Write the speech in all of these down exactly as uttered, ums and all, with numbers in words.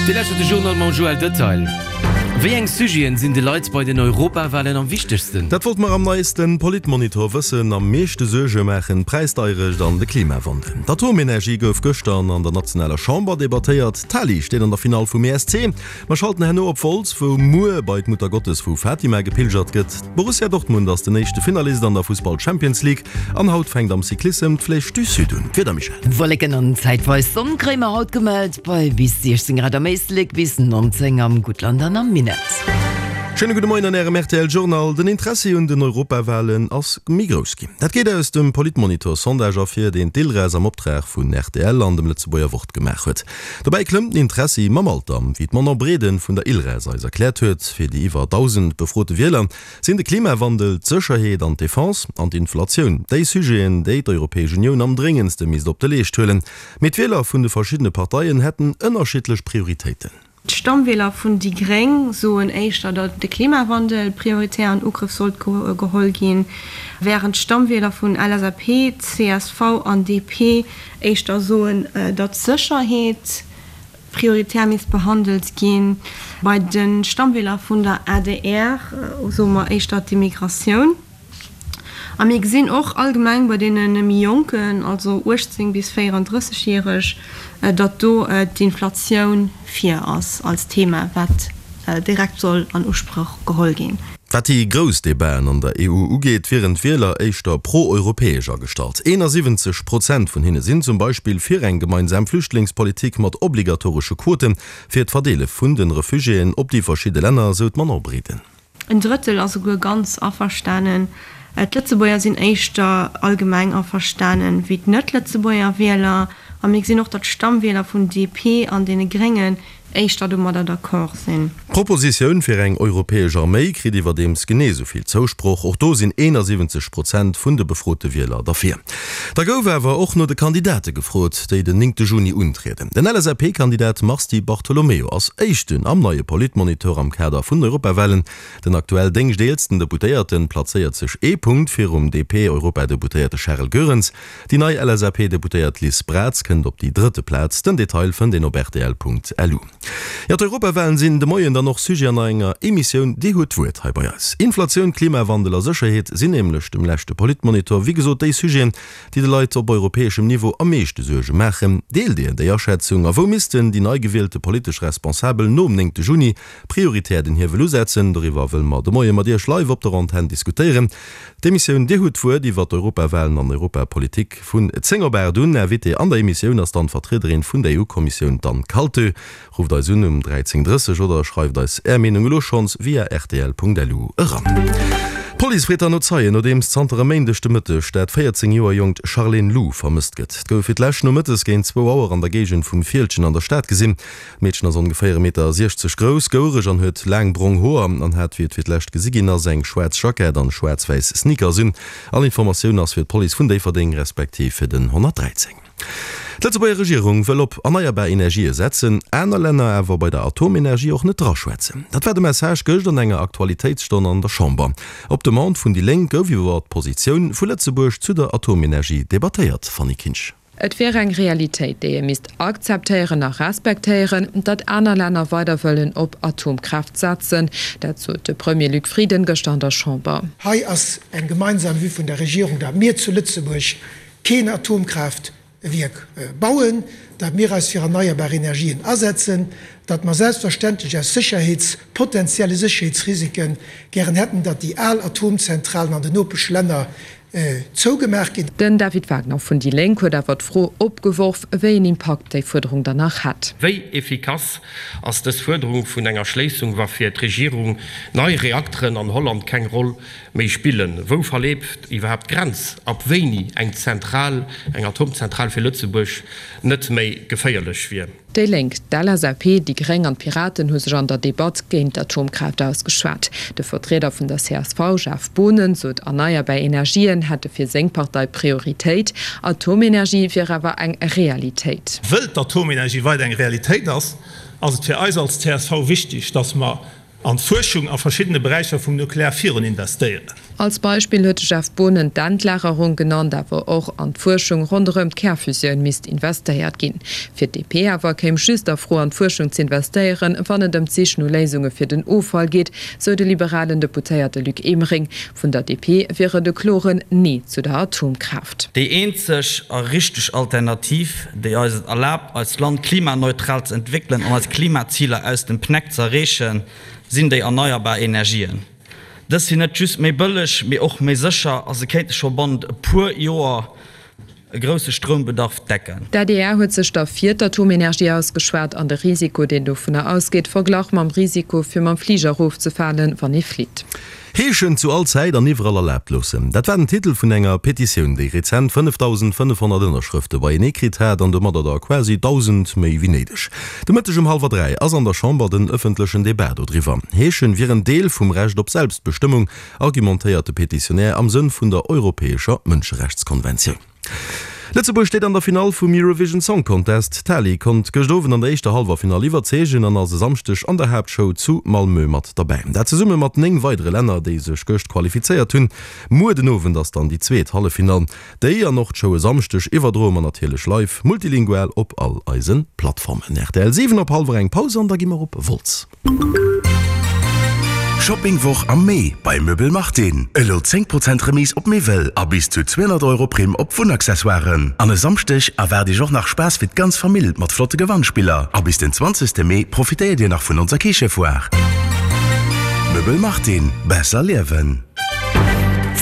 Dir lauschtert de Journal mam Joël Detail. Wéi eng Sujeten sinn de Leit bei den Europawalen am wichtegsten? Dat wollte mer am neiste Politmonitor wëssen. Am meeschte Suerge maachen d'Präisdeierecht an de Klimawandel. D'Atomenergie gouf gëschter an der nationaler Chamber debattéiert. D'Tali steet an der Finall vum E S C. Mer schalten herno op Wolz, wou muer bei d'Muttergottes vu Fatima gepilgert gëtt. Borussia Dortmund ass den éischte Finalist an der Fussball Champions League an haut fänkt am Cyclissem d'Flèche du Sud un. Wieder, Michèle? Wolleken an zäitweis Sonn kréie mer haut gemellt, bei bis siechzéng Grad am Éislek, bis nonzéng am Guttland an am Minett. Schéine gudde Moien an Ärem R T L Journal. Den Interessi un den Europawalen ass méi grouss ginn. Dat geet aus dem Politmonitor Sondage ervir, deen d'ILRES am Optrag vun R T L an dem Lëtzebuerger Wort gemaach huet. Dobäi klëmmt den Interessi mam Alter, wéi d'Manon Breden vun der ILRES eis erkläert huet. Fir déi iwwer dausend befrote Wieler sinn de Klimawandel, d'Sécherheet an d'Defense an d'Inflatioun déi Sujeten, déi d'Europäesch Unioun am dréngendste misst op de Leescht huelen. Mee d'Wieler vun de verschiddene Parteien hätten ënnerschiddlech Prioritéiten. D'Stammwieler vun déi Gréng soen éischter, datt de Klimawandel prioritär an Ugrëff sollt geholl ginn, wärend d'Stammwieler vun L S A P, C S V an D P éischter soen, datt d'Sécherheet prioritär misst behandelt ginn. Bei de Stammwieler vun der A D R soe mer éischter d'Immigratioun. A mir gesinn och allgemeng bei deene méi Jonken, also uechtzéng bis véierandrësseg järeg, datt do d'Inflatioun vir ass als Thema, wat direkt soll an Usproch geholl ginn. Wat déi grouss Debaten an der E U ugeet, wieren d'Wieler éischter pro-europäesch agestallt. eenasiwwenzeg Prozent vun hinne sinn zum Beispill fir eng gemeinsam Flüchtlingspolitik mat obligatoresche Quote fir d'Verdeele vun de Refugiéen op déi verschidde Länner, sou d'Manon Breden. En Drëttel ass souguer ganz averstanen. D'Lëtzebuerger sinn éischter allgemeng averstanen wéi d'Net-Lëtzebuerger Wieler. A mir gesinn och, datt d'Stammwieler vun D P an deene Gréngen éischter domadder d'accord sinn. D'Propositioun fir eng europäesch Arméi kritt iwwerdeems genee sou vill Zousproch. Och do sinn eenasiwwenzeg Prozent vun de befrote Wieler derfir. Da gouf awer och no de Kandidate gefrot, déi den néngte Juni untrieden. Den L S A P-Kandidat Mars Di Bartolomeo ass éischten am neie Politmonitor am Kader vun den Europawalen. Den aktuell déngschteelsten Deputéierte plazéiert sech ee Punkt virum D P-Europadeputéierte Charles Goerens. Déi nei L S A P-Deputéiert Liz Braz kënnt op déi drëtte Plaz. Den Detail fënnt een op R T L Punkt L U. Jo, d'Europawalen sinn de Moien dann och Sujet an enger Emissioun Dir hutt d'Wuert hei bei eis. Inflatioun, Klimawandel a Sécherheet sinn nämlech dem leschte Politmonitor wéi gesot déi Sujeten, déi de Leit op europäeschem Niveau am meeschte Suerge maachen. Deelt Dir déi Aschätzung a wou missten déi nei gewielte politesch Responsabel nom néngte Juni prioritär den Hiewel usetzen? Doriwwer wëlle mer de Moie mat Iech live op der Antenn diskutéieren. D'Emissioun Dir hutt d'Wuert iwwer d'Europawalen an Europapolitik vun zéng op aacht un. Invité an der Emissioun ass dann d'Vertriederin vun der E U-Kommissioun, d'Anne Kaltö. Rufft eis un um dräizéng drësseg oder schreift eis Är Meenung elo schonns via R T L Punkt L U eran. D'Police freet dann no Zeien, nodeems zanter e Méindeg de Mëtteg dat véierzéng Joer jonkt Charlène Lou vermësst gëtt. Et gouf fir d'lescht nomëttes géint zwou Auer an der Géigend vum Fieldgen an der Stad gesinn. D'Meedchen ass ongeféier e Meter siechzeg grouss, gouereg an huet laang brong Hoer an hat, wéi et fir d'lescht gesi ginn ass, eng schwaarz Jackett an schwaarz-wäiss Sneakers un. All Informatioun ass fir d'Police vun Déifferdeng respektiv fir den honnertdräizéng. D'Lëtzebuerger Regierung wëll op erneierbar Energië setzen, aner Länner awer bei der Atomenergie och net draschwätzen. Dat war de Message gëscht an enger Aktualitéitsstonn an der Chamber. Op Demande vun déi Lénk gouf iwwer d'Positioun vu Lëtzebuerg zu der Atomenergie debattéiert, Fanny Kinsch. Et wier eng Realitéit, déi ee misst akzeptéieren a respektéieren, datt aner Länner weider wëllen op Atomkraaft setzen. Dat sot de Premier Luc Frieden gëschter an der Chamber. Hei ass eng gemeinsam Vue vun der Regierung, datt mir zu Lëtzebuerg keen Atomkraaftwierk bauen, datt mir eis fir erneierbar Energien asetzen, datt mer selbstverständlech aus Sécherheets-, potenzielle Sécherheetsrisiken gären hätten, datt déi al Atomzentralen an den Nopeschlänner zougemaach ginn. Den David Wagner vun déi Lénk huet awer d'Fro opgeworf, wéi een Impakt déi Fuerderung dann nach hätt. Wéi efficace ass dës Fuerderung vun enger Schléissung, wa fir d'Regierung nei Reakteren an Holland keng Roll méi spillen? Wou verleeft iwwerhaapt d'Grenz, ab wéini eng Zentral, eng Atomzentral fir Lëtzebuerg net méi geféierlech wier? Déi Lénk, d'L S A P, déi Gréng an d'Piraten hu sech an der Debatt géint d'Atomkraaft ausgeschwat. De Vertrieder vun der C S V, Jeff Boonen, sot erneierbar Energien hätte fir seng Partei Prioritéit, Atomenergie wier awer eng Realitéit. Wëll d'Atomenergie weider eng Realitéit ass, ass et fir eis als C S V wichteg, datt mer an d'Fuerschung a verschiddene Beräicher vum Nuklear virun investéieren. Als Beispill huet de Jeff Boonen d'Endlagerung genannt, awer och an d'Fuerschung ronderëm d'Kärfusioun misst investéiert ginn. Fir d'DP awer kéim just a Fro an d'Fuerschung z'investéieren, wann et ëm d'Sich no Léisunge fir den Offall geet, sou de liberalen Deputéierte Luc Emering. Vun der DP wier et e kloren Nee zu der Atomkraaft. Déi eenzeg a richteg Alternativ, déi eis et erlaabt, eist Land klimaneutral ze entwéckelen an eis Klimaziler aus dem Pneck ze erreechen, sinn déi erneierbar Energien. Dës sinn net just méi bëlleg, mee och méi sécher a se kéinte scho bannent e puer Joer e grousse Stroumbedarf decken. D'adr huet sech da fir d'Atomenergie ausgeschwat an de Risiko, deen dovunner ausgeet, verglach mam Risiko, fir mam Fliger erofzefalen, wann ee flitt. Heeschen zu all Zäit an iwwerall erlaabt loossen, dat war den Titel vun enger Petitioun, déi rezent fënnefdausendfënnefhonnert Ënnerschrëfte beienee kritt hat an domadder der quasi dausend méi wéi néideg. De Mëtteg um hallwer dräi ass an der Chamber den ëffentlechen Debat dodriwwer. Heeschen wier en Deel vum Recht op Selbstbestëmmung, argumentéiert de Petitionär am Sënn vun der europäescher Mënscherechtskonventioun. Lëtzebuerg steet an der Finall vum Eurovision Song Contest. D'Tali konnt gëscht Owend an der éischter Hallwerfinall iwwerzeegen an ass e Samschdeg an der Haaptshow zu Malmö mat derbäi. Dat zesumme mat néng weidere Länner, déi sech gëscht qualifizéiert hunn. Muer den Owend ass dann déi zweet Halleffinall. Déi an och d'Show e Samschdeg iwwerdroe mer natierlech live multilingual op all eise Plattformen. Rtl siwen op hallwer eng Paus an da gi mer op Wolz. Shoppingwoch am Mee bei Möbel Martin. Elo zéng Prozent Remise op Miwwel a bis zu zweehonnert Euro Primm op Wunnaccessoiren. An e Samschdeg erwaart Iech och nach Spaass fir d'ganz Famill mat flotte Gewannspiller. A bis den zwanzegste Mee profitéiert Dir nach vun onser Kichefoire. Möbel Martin, besser liewen.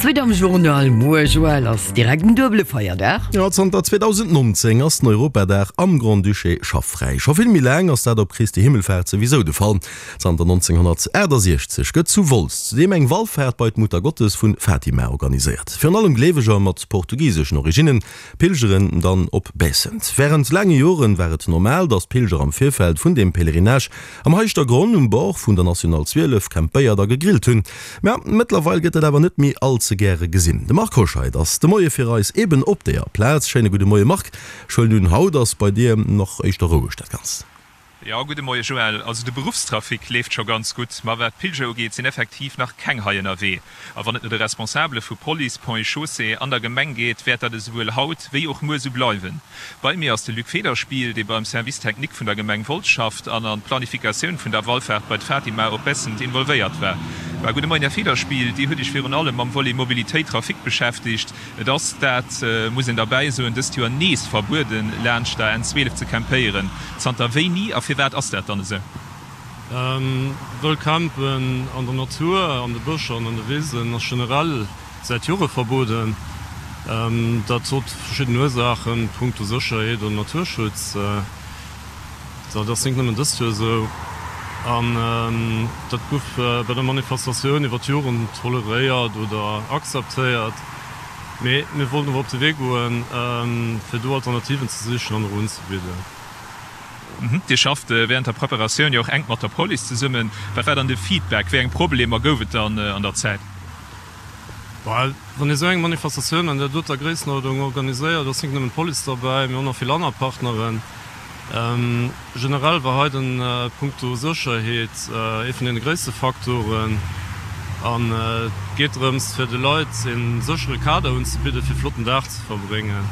Suite am Journal, Muer, Joël, ass direkt en duebele Feierdag. Jo, zanter zweedausendnonzéng ass den Europadag am Grand-Duché schaffräi. Scho vill méi laang ass dat op Christi Himmelfaart souwisou de Fall. Zanter nonzénghonnertaachtasechzeg gëtt zu Wolz zudeem eng Wallfaart bei d'Muttergottes vu Fatima organiséiert. Virun allem Gleeweger mat portugiseschen Originnen pilgeren dann op Baissent. Wärend laange Joren war et normal, datt d'Pilger am Virfeld vun deem Pèlerinage am Heischtergronn um Bord vun der National zwielef campéiert a gegrillt hunn. Mä mëttlerweil gëtt dat awer net méi all ze gäre gesinn. De Marc Hoscheid ass de Moie fir eis eben op deeër Plaz. Schéine gudde Moie Marc. Ech huelen un, haut ass bei dir nach éischter roueg dat Ganzt. Jo, gudde Moie Joël. Also de Beruffstrafic leeft scho ganz gutt, ma wat d'Pilger ugeet, sinn effektiv nach keng hei ënnerwee. A wann et no de Responsabele vu Police, Ponts et Chaussées an der Gemeng geet, wäert dat esouwuel haut wéi och muer esou bleiwen. Bei mir ass de Luc Federspiel, dee beim Service technique vun der Gemeng Wolz schafft an an d'Planifikatioun vun der Wallfaart bei d'Fatima op Bessent involvéiert war. War. Gudde Moien, Här Federspiel. Dir hutt Iech virun allem mam Volet Mobilitéit, Trafic beschäftegt. Et ass, dat muss een derbäi soen, dëst Joer nees verbueden, laanscht der N zwielef ze campéieren. Zanter wéini a firwat ass dat dann esou? Wëll campen an der Natur, an de Bëscher an an de Wisen ass generell säit Jore verboden. Dat huet verschidden Ursaachen, punkto Sécherheet an Naturschutz. Dat ass nik nëmmen dëst Joer esou. An dat gouf bei der Manifestatioun iwwer d'Joren toleréiert oder akzeptéiert. Mee mir wollten awer op de Wee goen, fir do Alternativen ze sichen an och unzebidden. Dir schafft wärend der Preparatioun jo och enk mat der Police zesummen. Wat war dann de Feedback? Wéi eng Problemer gouf et dann an der Zäit? Wann ee sou eng Manifestatioun an där doter Gréissenuerdnung organiséiert, ass nik nëmmen d'Police derbäi, mee och nach vill aner Partneren. Generell war hei den punkto Sécherheet ee vun deene gréisste Faktoren. An et geet drëms, fir de Leit ee séchere Kader unzebidden, fir e flotten Dag ze verbréngen.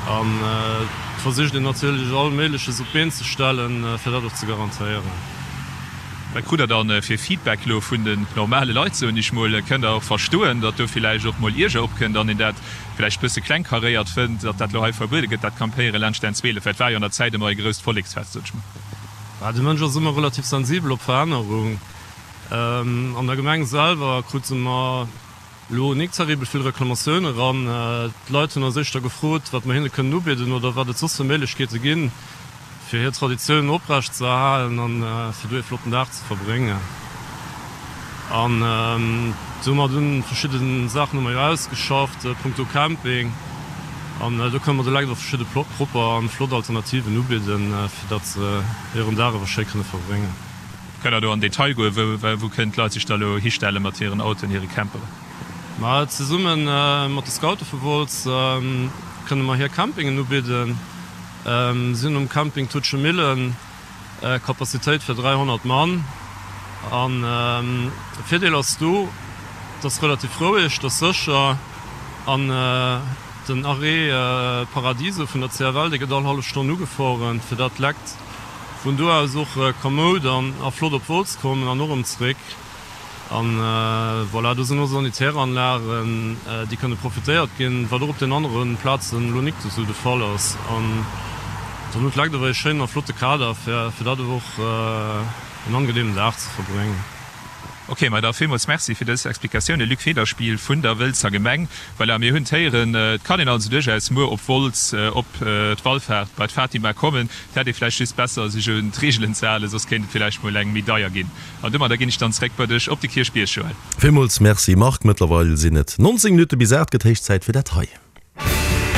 An et versicht een natierlech all Méigleches op d'Been ze stellen, fir dat och ze garantéieren. Wat krut der dann fir Feedback elo vun den normale Leit, soen ech mol? Kënnt der och verstoen, datt do villäicht och mol Ierger opkënnt an een dat villäicht bësse klengkaréiert fënnt, datt dat elo hei verbuede gëtt, dat Campéiere laanscht den zwielef? Well et war jo an der Zäit ëmmer e grousst Volleksfest, sot ech mol. De Mënsch ass ëmmer relativ sensibel op Verännerung. An der Gemeng selwer krute mer elo nik terribel vill Reklamatioune eran. D'Leit hunn eis éischter gefrot, wat mer hinne kënnen ubidden oder wat et soss fir Méiglechkeete ginn, fir hir Traditiounen oprecht ze erhalen an fir do ee flotten Dag ze verbréngen. An domat hunn verschidde Saachen hu mer jo ausgeschafft punkto Camping an do kënne mer de Leit och verschidde propper an flott Alternativen ubidden, fir datt se hiren Dag awer schéi kënne verbréngen. Kënnt Der do an Detail goen, wou kënnen d'Leit sech da elo histelle mat hiren Autoen, hire Camperen? Ma zesumme mat de Scoute vu Wolz kënne mer hir Campingen ubidden. Si hunn um Camping Tutschemillen Kapazitéit fir dräihonnert Mann. An de Virdeel ass do, Et ass relativ roueg, et ass sécher an den Arrêt Paradiso vun der C F L, dee gëtt all hallef Stonn ugeforen, fir dat d'Lekt vun do aus och kamoud an a flott op Wolz kommen an och erëm zeréck. An voilà, do sinn och Sanitäranlagen, déi kënne profitéiert ginn, wat och op den anere Plazen elo nik esou de Fall ass. An dann hunn d'Lekt awer ee schéinen a flotte Kader, fir fir dat och en angenehmen Dag ze verbréngen. Ok, ma da villmools Merci fir dës Explikatioune, Luc Federspiel vun der Wëlzer Gemeng. Voilà, mir hunn d'Héieren, et kann een also duerchaus muer op Wolz op d'Wallfaart bei d'Fatima kommen. Et hätt ee vläicht just besser, sech un d'Reegelen ze halen, soss kéint et vläicht mol eng méi deier ginn. An domadder ginn ech dann zréck bei dech op de Kierchbierg, Joël. Villmools Merci, Marc. Mëttlerweil sinn et nonzéng Minutte bis aacht, gëtt héich Zäit fir dat hei.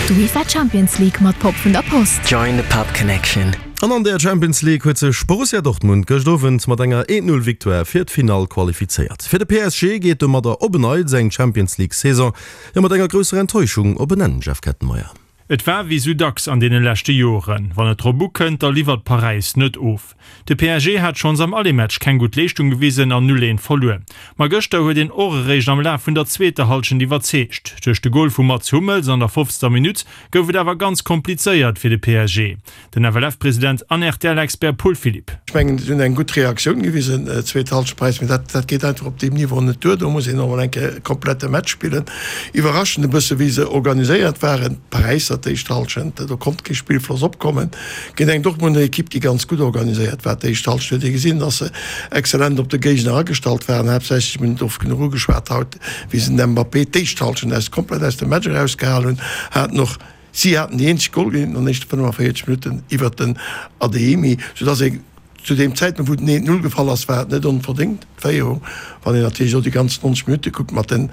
D'UEFA Champions League mat Pop vun der Post. Join the Pop Connection. An an der Champions League huet sech Borussia Dortmund gëscht Owend mat enger eent-Null Victoire fir d'Finall qualifizéiert. Fir de P S G geet domadder op en Neits eng Champions League Saison jo mat enger grousser Enttäuschung op en Enn, Jeff Kettenmeyer. Et war wéi sou dacks an deene leschte Joren, wann et drop ukënnt, da liwwert Paräis net of. De P S G hat schonns am Aller-Match keng gutt Leeschtung gewisen an null eent verluer. Ma gëschter huet een och eréischt am Laf vun der zweeter Hallschent iwwerzeegt. Duerch de Gol vum Mats Hummels an der fofzter Minutt gouf et awer ganz komplizéiert fir de P S G. Den F L F-President an R T L-Expert Paul Philipp. Ech mengen, si hunn eng gutt Reaktioun gewisen, zweet Hallschent Paräis, mee dat dat geet einfach op deem Niveau net duer. Do muss een och mol eng Kéier e komplette Match spillen. Iwwerraschend e bësse wéi se organiséiert waren, d'Paräisser d'éischt Hallschent. Do konnt kee Spillfloss opkommen géint eng Dortmunder Ekipp, déi ganz gutt organiséiert war. D'éischt Hallschent huet ee gesinn, datt se exzellent op de Géigner agestallt waren, haaptsächlech, mir hunn et oft genuch ugeschwat haut, wéi se den Mbappé d'éischt Hallschent aus komplett aus dem Match erausgehal hunn, haten och si haten déi eenzeg Golgeleeënheet an den éischte fënnefaféierzeg Minutten iwwert den Adeyemi, soudass ee zu deem Zäitpunkt, wou den eent Null gefall ass, war et net onverdéngt, d'Féierung. Wann een natierlech elo déi ganz neunzeg Minutte kuckt mat de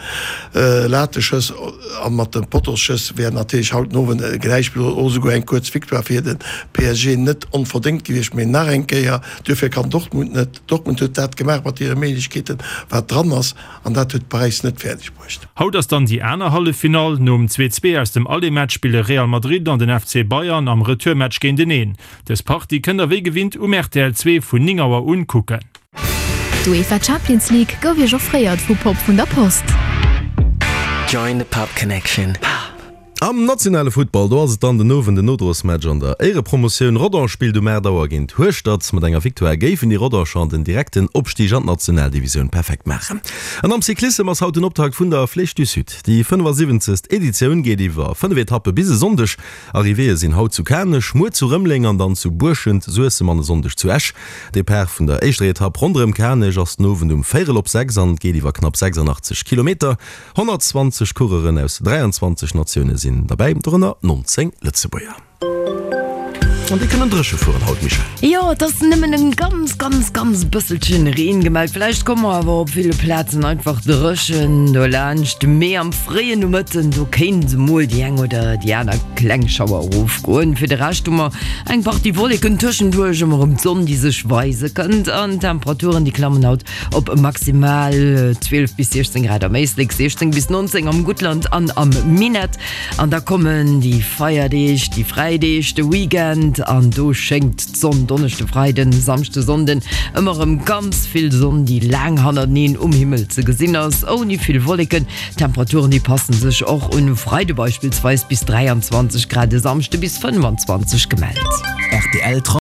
Lateschëss a mat de Pottosschëss, wär natierlech haut den Owend e Gläichspill oder esouguer eng kuerz Victoire fir de P S G net onverdéngt gewiescht. Mee nach eng Kéier, duerfir kann Dortmund net. Dortmund huet dat gemaach mat hire Méiglechkeeten, wat dran ass, an dat huet Paräis net fäerdeg bruecht. Haut ass dann déi aner Halleffinall. Nom zwee zwee aus dem Aller-Match spille Real Madrid an den F C Bayern am Retourmatch géinteneen. Dës Partie kënnt der wéi gewinnt um R T L zwee vun néng Auer un kucken. D'UEFA Champions League gouf Iech offréiert vu Pop vun der Post. Join the Pop Connection. Am nationale Futtball, do ass et dann den Owend den Nodrosmatch an der Éierepromotioun. Rodange spillt um aacht Auer géint Hueschtert. Mat enger Victoire géifen déi Rodanger den direkten Opstig an d'Nationaldivisioun perfekt maachen. An am Cyclissem ass haut den Optakt vun der Flèche du Sud. Déi fënnefasiwwenzegst Editioun geet iwwer fënnef Etappe bis e Sonndeg. Arrivéeë sinn haut zu Kanech, muer zu Rëmeleng an dann zu Buerschent, Suessem an e Sonndeg zu Esch. Depart vun der éischter Etapp ronderëm Kanech ass den Owend um véierel op sechs an geet iwwer knapp sechsandachtzeg Kilometer. Honnertzwanzeg Coureuren aus dräianzwanzeg Natioune sinn derbäi, dorënner nonzéng Lëtzebuerger. An déi kënnen dréche fueren haut, Michèle. Jo, et ass nëmmen en ganz, ganz, ganz bësselchen Reen gemellt. Vläicht komme mer awer op ville Plazen einfach dréchen dolaanscht. Mee am fréien Nomëtten, do kéint mol déi eng oder déi aner kleng Schauer erofgoen. Fir de Rescht hu mer eng Partie Wolleken, tëschenduerch ëmmer erëm d'Sonn, déi sech weise kënnt. An d'Temperaturen, déi klammen haut op maximal zwielef bis siechzéng Grad am Éislek, siechzéng bis nonzéng am Guttland an am Minett. An da kommen déi Feierdeeg, déi Fräideeg, de Weekend an do schéngt d'Sonn, Donneschde, Freiden, Samschde, Sonnden, ëmmer erëm ganz vill Sonn, déi laang hannerteneen um Himmel ze gesinn ass, ouni vill Wolleken. D'Temperaturen, déi passen sech och un, Freide beispillsweis bis dräianzwanzeg Grad, e Samschde bis fënnefanzwanzeg gemellt. R T L.